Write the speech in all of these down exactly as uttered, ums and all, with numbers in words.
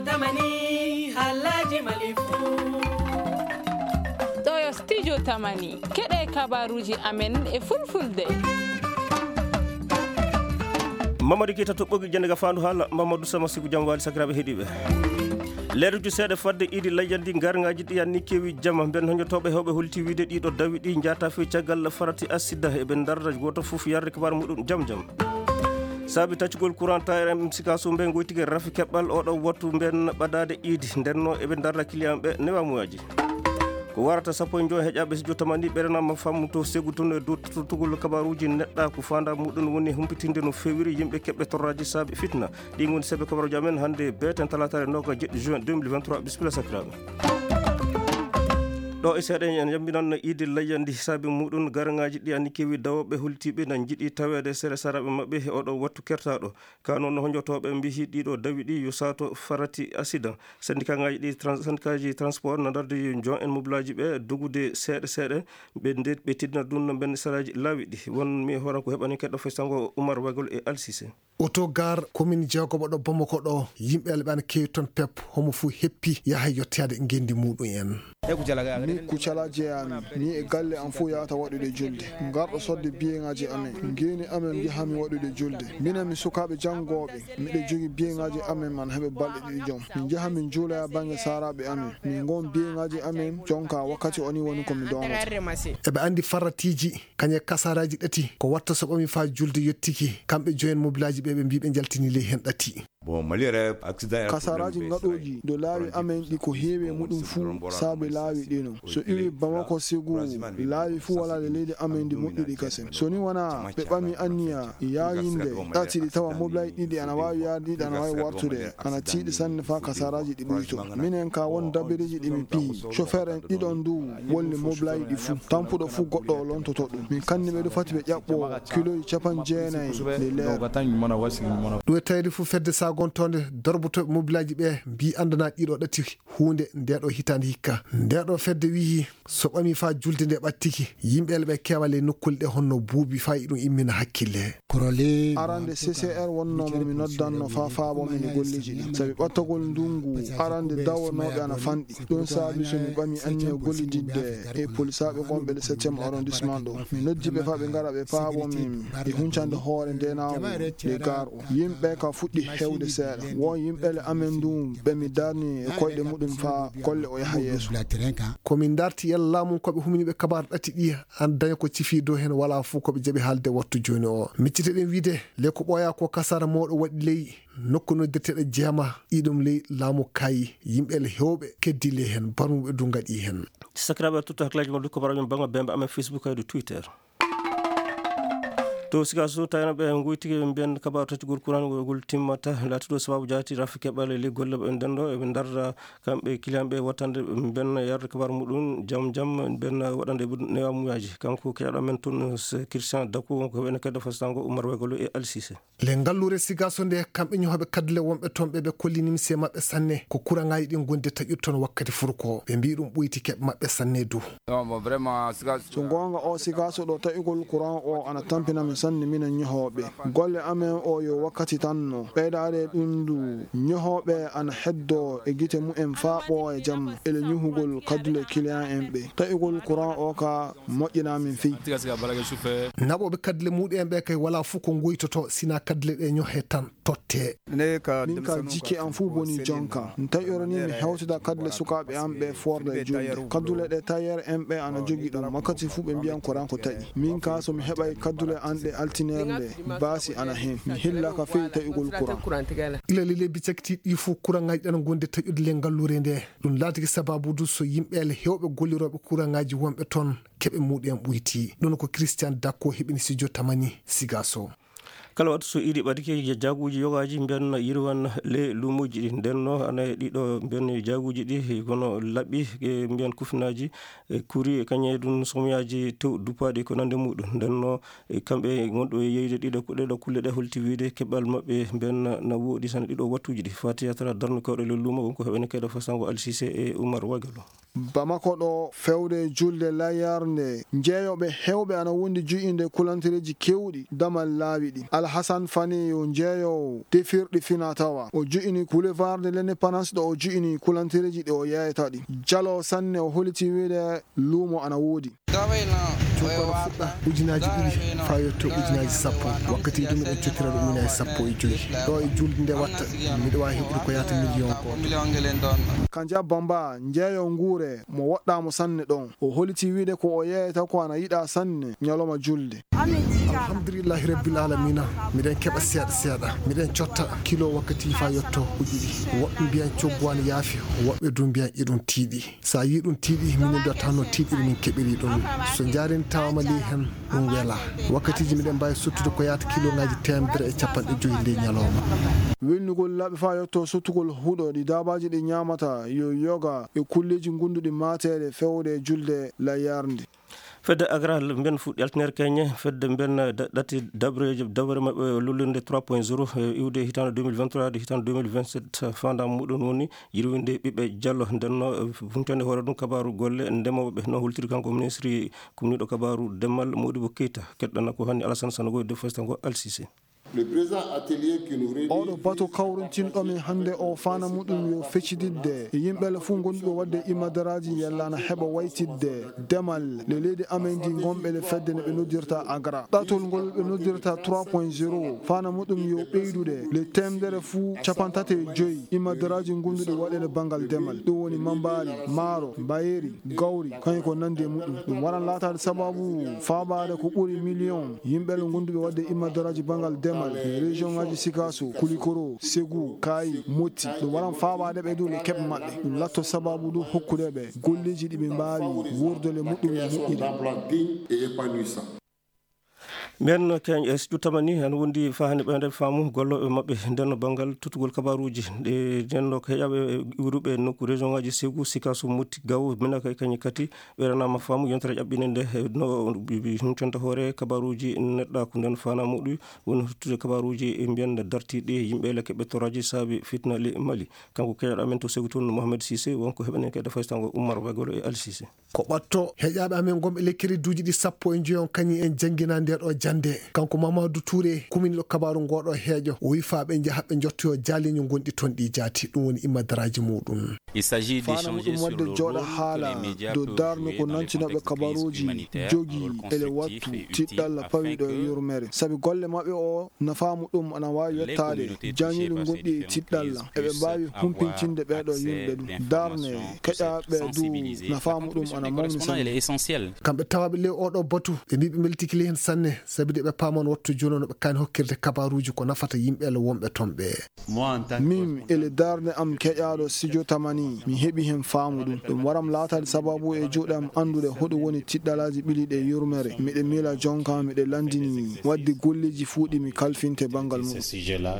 Tamani, halaji malifu. Ɗo yo studio Tamani. Keɗe kabaruji amen e fulfulde. Mamadou Keita toɓɓogi jannde ga fandu haala, Mamadou Sama Siku, jam wali sakiraɓe heɗiɓe. Leeruji seeɗa fadde idi layyandi, gargaji ɗi anni kewi jama. Ben hoñotoɓe hewɓe holti wiide ɗiɗo dawi ɗi jata fewi caggal farati asida, eɓe darda goto fof yarde kabar muɗum jam jam. Saabi taccugol courant, tawi M C K so mbe goytike rafi keɓɓal oɗo wattu mben ɓadade idi, ndenno eɓe darda client ɓe newamuyaji. Ko warata sappo e joy heƴaɓe studio Tamani ɓeɗanama fammu to segu tun e dow totugol kabaruji neɗɗa ko fanda muɗum woni humpitinde no fewiri yimɓe keɓɓe torraji saabi fitna. Ɗi ngoni sebe kabaruji amen hannde beten talatare noka jeɗɗi juin deux mille vingt-trois. Bisimilla sakiraɓe. Ɗo e seeɗa en yambinan idi layyandi saabi muɗum, garangaji ɗi anni kewi dawoɓe holtiɓe na jiɗi tawede sere saraɓe maɓɓe e oɗo wattu kertaɗo. Ka noon, hoñotoɓe mbihi ɗiɗo dawi ɗi yo sato farati accident. Syndicat ngaji ɗi trans-, syndicat ji transport na dardi jon en mobilaji ɓe dogude seeɗa seeɗa. Ɓe nde-, ɓe tiddina ɗum no ɓen saraji laawi ɗi. Won mi horan ko heɓani keɗɗo fesango Oumar Wagol e Alsise. Autogare commune jeegoɓo ɗo Bamako ɗo, yimɓe alɓe ana kewi toon pep, homo fof heppi yaha yettoyade ngendi muɗum en. Ni kucalaji e amin, ni e galle am fof yahata waɗude julde. Ngarɗo sodde biyeŋaji amen, ngeni amen njahami waɗude julde. Minen mi sukaaɓe janngoɓe, miɗo jogi biyeŋaji amen man heɓe balɗe ɗiɗi jom. Min njaha min juuloya bannge saaraaɓe amen. Min ngon biyeŋaji amen, jonka wakkati o ni woni ko mi doomata. Eɓe anndi farratiiji, kañe kasaraji ɗati, ko watta so ɓami faa julde yettiki. Kamɓe joyen mobilaji ɓe, ɓe mbi ɓe njaltini ley hen ɗati. Bon, Mali yɛrɛ, accident yɛrɛ. Kasaraji problème bɛ gaɗoji do laawi amen ɗi ko heewi e muɗum fuu saabe laawi ɗino. So iwi Bamako Ségou, laawi fuu wala le leydi amen ndi moƴƴuɗi kasen. So ni wona ɓe ɓami anniya yaayinde ɗati ɗi tawa mobilay ɗiɗi ana waawi yaade, ɗiɗi ana waawi wartude, ana tiiɗi sanne faa kasaraji ɗi ɓuyto. Minen ka won dabiriji ɗi mi piyi. Chauffeur en ɗiɗon du wolli mobilay ɗi fuu. Tampuɗo fuu goɗɗo o lontoto ɗum. Min kanni ɓe du fati ɓe ƴaɓɓo kiloji capanɗe jeenayi nde leer. Ɗum e tawde fof fedde sagontoonde dorboto mobilaji ɓe mbi andana ɗiɗo ɗati huunde nde ɗo hitaande hikka. Nde ɗo fedde wiyi so ɓami faa julde nde ɓattiki, yimɓe ele ɓe kewa ley nokkuule ɗe honno buubi faa iɗum immina hakkille. Arande C C R wonno mo mi noddanno faa faabo min e golleji ɗi. Sabi ɓattagol ndungu arande dawonoɓe ana fanɗi. Ɗum saabi so mi ɓami anniya gollididde e polisaaɓe gonɓe le septième arrondissement ɗo. Mi noddi ɓe faa ɓe ngara ɓe paabo min e huncande hoore ndenaagu nde gaar o. Yimɓe ka fuɗɗi hewde seeɗa. Won yimɓe le amen ndun ɓe mi darni e koyɗe muɗum faa golle o yaha yeeso. Ko min darti yalla laamu ko ɓe humni ɓe kabaar ɗati ɗi an daña ko cifi dow hen wala fof ko ɓe jaɓi haalde wattu jooni o. Miccite ɗen wiide le ko ɓooya ko kasara mawɗo waɗi ley nokku noddirteeɗo jeema ɗiɗum ley laamu kaayi, yimɓe le heewɓe keddi ley heen, barmuɓe du ngaɗi heen. Sakiraaɓe, totta hakkilaaji mon du ko baraji mon bannga bembe amen Facebook e du Twitter. To Sikaso tawino ɓe ngoyti ɓe mbiyan kabaru taccugol kuran ngol timmata, laatiɗo sababu jaati rafi keɓale ley golle ɓe nden ɗo, eɓe ndarda kamɓe client ɓe wattande ɓe mbiyan yarde kabaru muɗum jam jam, ɓen waɗande ɓe newamuyaji. Kanko keɗaɗo men tun, Christian Dakou, wonko heɓene keddo fastango Oumar Wegolo e Alsise. Le ngalluure Sigaso nde, kamɓe ñohoɓe kaddule wonɓe toon ɓe, ɓe kolli nimse maɓɓe sanne. Ko kuraŋaaji ɗin gonde taƴude toon wakkati furko. Ɓe mbii ɗum ɓoyti keɓe maɓɓe sanne du. So goonga o Sigaso ɗo taƴugol kuraŋ o ana tampina mi sanne minen ñohooɓe. Golle amen o yo wakkati tan no. Ɓeydaade ɗum du, ñohooɓe ana heddo e gite mumen faa ɓooya jamma. Ele ñuhugol kaddule client en ɓe. Taƴugol kuraŋ o ka moƴƴinaa min fii. Naɓooɓe kaddule muɗum en ɓe kay walaa fof ko ngoytoto, sinaa kaddule ɗe ñohe tan totte. Min ka jikke am fof boni jonka. Mi taƴoro ni mi hewtida kaddule sukaaɓe am ɓe foorda e julde. Kaddule ɗe tailleur en ɓe ana jogi ɗum. Wakkati fof ɓe mbiyan ko ranko taƴi. Min ka so mi heɓay kaddule an ɗe altineer nde, baasi ana heen. Mi hillaka fii taƴugol kuraŋ. Ila le lebbi cakitiiɗi ɗi fof kuraŋaaji ɗan gonde taƴude le ngalluure nde. Ɗum laatiki sababu du so yimɓe le heewɓe gollirooɓe kuraŋaaji wonɓe toon keɓe muɗum en ɓoyti. Ɗum ko Christian Dakko heɓini studio Tamani Sigaso. Kala wattu so iidi ɓadike, jaaguuji yogaaji mbiyan yirwan le luumuuji ɗi. Nden no ana e ɗiɗo mbiyan jaaguuji ɗi kono laɓɓi, e mbiyan kufinaaji, e kuri, e kañe ɗum somyaaji tew duppaaɗi ko nande muɗum. Nden no e kamɓe ngonɗo e yeyde ɗiɗo, ɗeɗo kulle ɗe holti wiide keɓal maɓɓe mbiyan na woɗi tan ɗiɗo wattuuji ɗi. Fatiya tara darnukooɗo le luumo wonko heɓene kayɗo fasango Alsise e Oumar Wagalo. Bamako ɗo, fewde julde layarnde, jeeyooɓe heewɓe ana wondi ju'inde kulantereeji keewɗi damal laawi ɗi. Alhasan Fane yo jeeyoowo defirɗi fina tawa. O ju'ini Boulevard de l'Indépendance ɗo o ju'ini kulantereeji ɗi o yeeyata ɗi. Jalo sanne o holiti wiide luumo ana woodi. Cukkono fuɗɗa ujunaaji ɗiɗi faa yetto ujunaaji sappo. Wakkati ɗum miɗen cottira ɗum ujunaaji sappo e joy. Ɗo e julde nde watta, miɗo waawi heɓude ko yaata miliyon gooto. Kanja Bamba, njeeyo nguure, mo woɗɗaamo sanne ɗon. O holiti wiide ko o yeeyata ko ana yiɗaa sanne ñalawma julde. Alhamdulillahi Rabbil Alamina, miɗen keɓa seeɗa seeɗa. Miɗen cotta kilo wakkati faa yetto uji ɗiɗi. Woɓɓe mbiyan coggu ana yaafi, woɓɓe du mbiyan iɗum tiiɗi. So a yii ɗum tiiɗi, minen du a tawno tiiɗiri min keɓiri ɗum. So njaareendi tawaama ley heen, ɗum welaa. Wakkatiiji miɗen mbaawi sottude ko yaata kilooŋaaji teemedere e cappanɗe joy ley ñalawma. Welnugol laaɓi faa yetto sottugol huɗo ɗi daabaaji ɗi ñaamata, yo yoga e kulleeji ngunduɗi maateede fewde e julde layarnde. Fedde Agra mben fuɗɗi altine keñe, fedde mben da-, ɗati dabareeji, dabare maɓɓe lullirde trois point zéro, e iwde hitaande deux mille vingt-trois de hitaande deux mille vingt-sept, faandaare muɗum woni yirwinde ɓiɓɓe jallo. Nden no, eh, humpitande hoore ɗum kabaaru golle ndemooɓe, no holtiri kanko ministre kumniiɗo kabaaru demal Modibo Keita. Keɗɗana ko hanni Alassane Sanogo e defesta ngo Alsise. Le présent atelier qui nous réunit Oɗo bato kawrintinɗo min hannde o faandaare muɗum yo feccididde e yimɓe fof ngonduɓe waɗde imadaraaji yalla na heɓa waytidde demal le leydi amen ndi ngonɓe le fedde ne ɓe noddirta Agra. Ɗatol ngol ɓe noddirta trois point zéro, faandaare muɗum yo ɓeydude le teemedere fuu cappanɗe tati e joy imadaraaji ngonduɗi waɗeede banngal demal. Ɗum woni mambaari, maaro, mbayeeri, gawri, kañum ko nanndi e muɗum. Ɗum waran laataade sababu faabaade ko ɓuri miliyon yimɓe le ngonduɓe waɗde imadaraaji banngal demal e région ŋaaji Sikaso, Kulikoro, Segu, Kaayi, Motti. Ɗum waran faabaade ɓe du le keɓe maɓɓe. Ɗum latto sababu du hokkude ɓe golleeji ɗi ɓe mbaawi wuurdude muɗum e moƴƴude. D'emploi digne et épanouissant. Mbiyen keñ e siƴu tamani, ana wondi faa hannde ɓeyde faamu gollooɓe maɓɓe nden banngal tottugol kabaaruuji. Ɗe nden ɗo ko heƴaaɓe iwruɓe nokku région ŋaaji Segu, Sikaso, Motti, Gawo, Minaka e kañum kadi ɓe ranaama faamu yontere ƴaɓɓinde nde, no humpitanta hoore kabaaruuji neɗɗaaku nden faandaare muɗum woni huttude kabaaruuji e mbiyen dartiiɗi yimɓe le keɓe toraaji saabi fitina le Mali. Kanko keñoɗo amen to Segu toon, Mohamed Cissé, wonko heɓanen kadi faysango Oumar Wegolo e Ali Cissé. Ko ɓatto heƴaaɓe amen ngonɓe le crédit uji ɗi sappo e njoyon kañum en janngina nde ɗo jannde. Kanko Mamadou Touré, kuminiiɗo kabaaru ngo ɗo heeƴo, o wi faa ɓe njaha ɓe njottoyo jaaliiño ngonɗi toon ɗi jaati, ɗum woni imadaraaji muɗum. Faandaare muɗum waɗde jooɗa haala dow darnde ko nantinooɓe kabaaruuji jogii ele wattu tiɗɗalla pawiiɗo e yurmeere. Sabi golle maɓɓe o nafaa muɗum ana waawi yettaade jañeeli gonɗi e tiɗɗalla. Eɓe mbaawi humpitinde ɓeeɗo yimɓe ɗum. Darnde keƴaaɓe du nafaa muɗum ana mawni sanne. Kamɓe tawaaɓe ley oɗo batu, ɓe mbii ɓe mbeltike ley heen sanne, sabi de ɓe paaman wattu jooni no ɓe kaani hokkirde kabaaruuji ko nafata yimɓe le wonɓe toon ɓe. Min, ele darnde am keƴaaɗo Sijo Tamani, mi heɓi heen faamu ɗum. Ɗum waram laataade sababu e juuɗe am anndude hoɗum woni tiɗɗalaaji ɓiliiɗi e yurmeere. Miɗe miila jonka, miɗe lanndini waɗde golleeji fuu ɗi mi kalfinte banngal mum.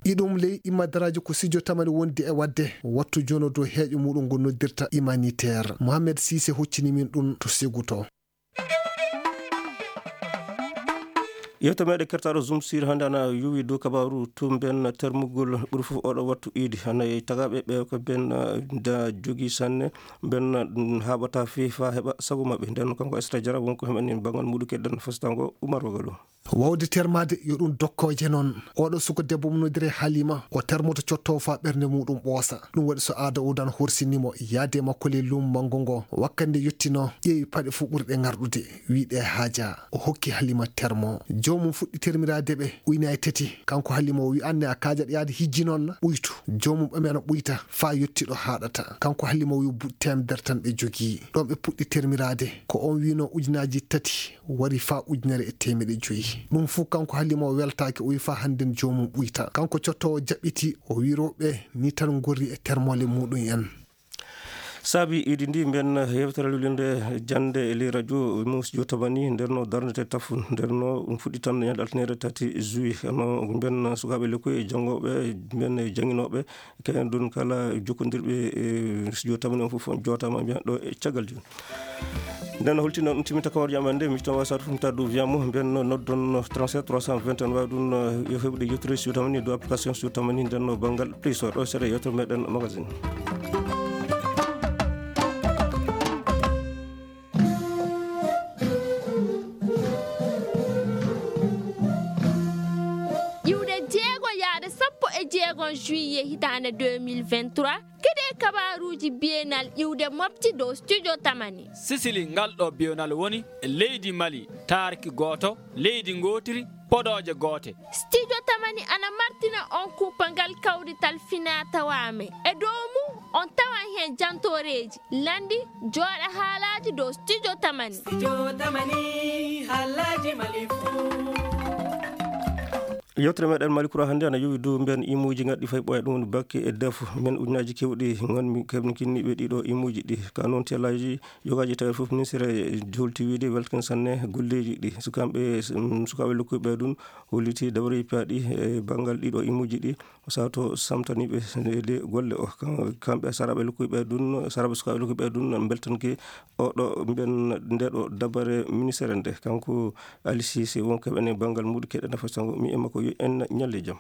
Iɗum ley imadaraaji ko Sijo Tamani wondi e waɗde, wattu jono dow heeƴo muɗum ngo noddirta humanitaire. Mohamed Cissé hoccini min ɗum to Segu to. Yewtere meɗen kertaaɗo Zoom sur hannde ana yowi dow kabaaru tumben termugol ɓuri fof oɗo wattu iidi. Hannde tagaaɓe ɓe ko ben, eh, da jogi sanne, ben, mm, haaɓata fii faa heɓa sago maɓɓe. Nden kanko Aissata Diarra wonko heɓani banngal muɗum keɗɗen fastango Oumar Wagalo. Wawde termaade yo ɗum dokkooje noon. Oɗo suka debbo mo noddiree Halima, o termoto cottoowo faa ɓernde muɗum ɓoosa. Ɗum waɗi so aada udan horsini mo, yaade makko ley luumo manngo ngo. Wakkati nde yottinoo, ƴeewi paɗe fof ɓurɗe ŋarɗude, wii ɗe haajaa. O hokki Halima termo. Joomum fuɗɗi termiraade ɓe, uynaay tati. Kanko Halima o wii, "Aan ne a kaajaɗo yaade hijji noon na? Uytu." Joomum ɓami ana ɓuyta, faa yotti ɗo haaɗata. Kanko Halima o wii, "Bu-, teemedere tan ɓe jogii." Ɗoon ɓe puɗɗi termiraade. Ko oon wiinoo ujunaaji tati wari faa ujunere e teemedde joyi. Ɗum fuu kanko Halima o weltaaki, o wii faa hannden joomum ɓuyta. Kanko cottoowo jaɓɓiti, o wii rewɓe ni tan ngorri e termole muɗum en. Saabi iidi ndi mben yewtere lulinde jannde e ley radio Mouss Diop Tamani, nder no darnete tafu, nder no ɗum fuɗɗi tan ñande altine tati juillet. Hono mben sukaaɓe lekkoy e janngooɓe, mben e jannginooɓe, kañum ɗum kala jokkondirɓe e studio Tamani on fof on jootaama mbiyan ɗo e caggal jooni. Nden holti noon ɗum timminta kawar jam annde, mi tawaa sar fumta dow wiyan mo, mbiyan no noddon trente-sept trois cent vingt et un, waawi ɗum, eh, yo heɓude yewtere studio Tamani dow application studio Tamani nden no banngal Play Store ɗo seeɗa yewtere meɗen magazine. Jeegon juillet hitaande deux mille vingt-trois, keɗee kabaaruuji bienal iwde mofti dow studio Tamani. Sisili, ngal ɗo bienal woni e leydi Mali, taarki gooto, leydi ngootiri, podooje goote. Studio Tamani ana martina on kuupangal kawrital finaa tawaa me. E dow mum, on tawan heen jantooreeji, lanndi, jooɗa haalaaji dow studio Tamani. Studio Tamani, haalaaji Mali fuu. Yewtere meɗen Mali Kura hannde ana yowi dow mbiyan imuuji ngaddi fay ɓooya ɗum woni bakke e defu. Men ujunaaji kewɗi ngonmi keɓni kinniɓe ɗiɗo imuuji ɗi. Ka noon tellaaji yogaaji tawi fof ministre holti wiide weltan sanne golleeji ɗi. Sukaaɓe, mm, sukaaɓe lokkuɓe ɗum holliti dabare paaɗi e banngal ɗiɗo imuuji ɗi. O sato samtaniiɓe nde golle o. Kam-, kamɓe saraaɓe lokkuɓe ɗum, saraaɓe sukaaɓe lokkuɓe ɗum mbeltanke oɗo mbiyan nde ɗo dabare ministre nde. Kanko Ali Cissé won kaɓene banngal muɗum keɗe nafa sango mi e makko yo en ñalle jam.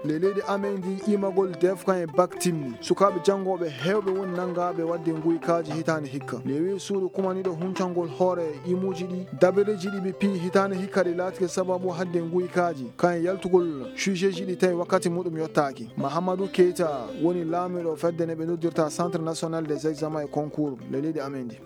Ley leydi amen ndi imagol defkan e bak timmi. Sukaaɓe janngooɓe heewɓe woni nanngaaɓe waɗde nguykaaji hitaande hikka. Ley wii suudu kumaniiɗo huncangol hoore e imuuji ɗi, dabareeji ɗi ɓe piyi hitaande hikka ɗi laatike sababu haɗde nguykaaji, kan e yaltugol sujet ji ɗi tawi wakkati muɗum yottaaki. Mahamadou Keita woni laamiiɗo fedde nde ɓe noddirta Centre National des Examens et Concours ley leydi amen ndi.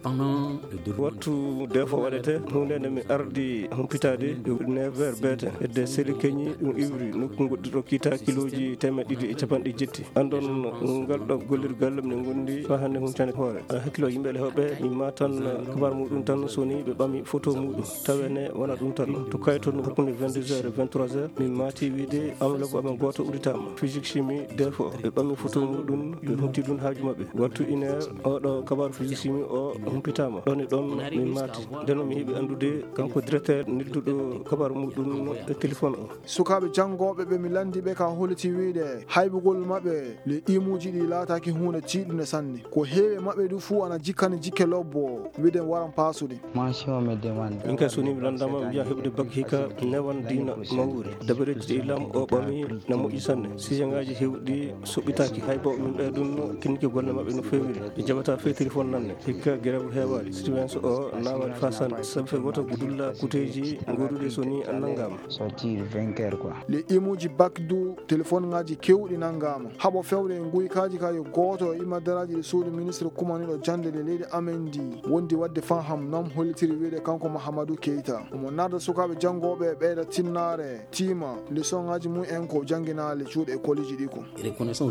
Wattu defo waɗete, huunde nde mi ardi humpitaade, neuf heures beete. Hedde seli keñi, ɗum iwri nokku goɗɗo ɗo kiita kilooji teemeɗɗe ɗiɗi e capanɗe jetti. Andon ngal ɗo gollirgal, minen ngondi faa hannde huncande hoore. A hakkilo yimɓe le hoɓe, mi matan kabar muɗum tan, so ni ɓe ɓami photo muɗum. Tawe ne wona ɗum tan. To kayto no hakkunde vingt-deux heures e vingt-trois heures, min maati wiide enveloppe amen gooto udditaama. Physique chimie, defo. Ɓe ɓami photo muɗum, ɓe hutti ɗum haaju maɓɓe. Wattu une heure, oɗo kabar physique chimie o humpitaama. Ɗon e ɗon min maati. Nden mi heɓi anndude kanko directeur nelduɗo kabar muɗum e téléphone o. Sukaaɓe janngooɓe ɓe mi lanndi ɓe ka holliti wiide haybugol maɓɓe le imuuji ɗi laataaki huunde tiiɗunde sanne. Ko heewi e maɓɓe du fuu ana jikkani jikke lobbo, wiide waran paasude. Mention me demande. Min kay so ni mi lanndama mi wiya heɓude bak hikka newan diina mawuri. Dabareeji ɗi lam o ɓami na moƴƴi sanne. Sijangaaji heewɗi soɓɓitaaki. Hay bo min ɓe ɗum kinki golle maɓɓe no feewiri. Ɓe jaɓata fey téléphone nanne. Hikka gerew heewaali. Surveillance o naawali faa sanne. Sabu fey woto dulla kuteeji gooduɗi so ni an nanngaama. Sortir vainqueur quoi. Le imuuji bak du téléphone ngaaji keewɗi nanngaama. Haɓo fewre e nguykaaji ka yo gooto e imadaraaji ɗi suudu ministre kumaniiɗo jannde le leydi amen ndi wondi waɗde faham nam hollitiri wiide kanko Mahamadou Keita. Omo narda sukaaɓe janngooɓe e ɓeyda tinnaare, tiima leçon ngaaji mum en ko jannginaale cuuɗe e kolleeji ɗi ko.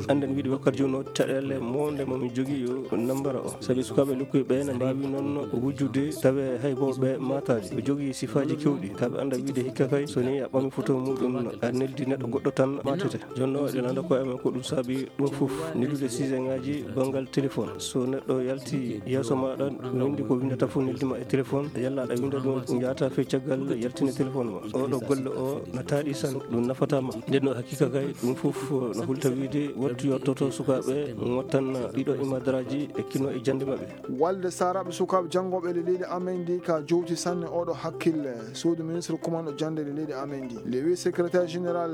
Annden wiide wakkati jooni o caɗeele mo nde mo mi jogii yo nambara o. Sabi sukaaɓe lokkuɓe ɓe ne mbaawi noon wujjude tawe hay bo ɓe maataji. O jogii sifaaji kewɗi. Ka ɓe annda wiide hikka kay so ni a ɓami photo muɗum a neldi neɗɗo goɗɗo tan maatete. Jonno eɗen annda ko amen ko ɗum saabi ɗum fof. Neldude sijangaaji banngal téléphone. So neɗɗo yalti yeeso maaɗa windi ko windata fof neldi ma e téléphone. Yalla aɗa winda ɗum njaata fey caggal yaltine téléphone ma. Oɗo golle o na taaɗi san ɗum nafata ma. Nden no hakkika kay ɗum fof no hulta wiide wattu yottoto sukaaɓe ngottan ɗiɗo imadaraaji e kino e jannde maɓɓe. Walde saaraaɓe sukaaɓe janngooɓe le leydi amen ndi ka jowti sanne oɗo hakkille suudu ministre kumanɗo jannde le leydi amen ndi. Le wi secrétaire général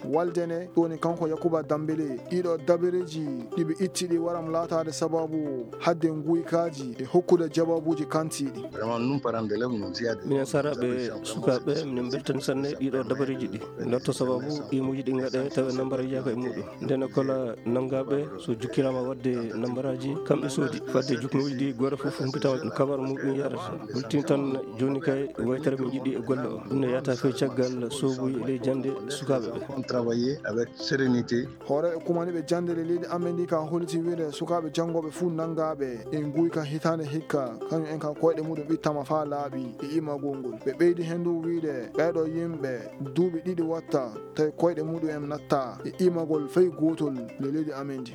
walde ne ɗoni kanko Yakuba Dambele ɗiɗo dabareeji ɗi ɓe itti ɗi waram laataade sababu hadde nguykaaji e hokkude jawaabuuji kantiiɗi. Vraiment, nous, parents d'élèves, nous y a des... Minen saaraaɓe sukaaɓe, minen mbeltani sanne ɗiɗo dabareeji ɗi. Ndarto sababu imuuji ɗi ngaɗe tawa nambara yaka e muɗum. Ndene kola nanngaaɓe so jukkiraama waɗde nambaraaji, kamɓe soodi. Fadde jukkunuuji ɗi gooto fof humpitaama no kabar muɗum yahrata. Hultin tan jooni kay waytere min njiɗi e golle o. Ɗum ne yahata fey caggal soobuye e ley jannde sukaaɓe ɓe. On travailler avec sérénité. Hoore e kumaniiɓe jannde le leydi amen ndi ka holliti wiide sukaaɓe janngooɓe fuu nanngaaɓe e nguyka hitaande hikka, kañum en ka koyɗe muɗum ittama faa laaɓi e imagol ngol. Ɓe ɓeydi heen du wiide ɓeeɗo yimɓe duuɓi ɗiɗi watta tawi koyɗe muɗum en natta e imagol fey gootol le leydi amen ndi.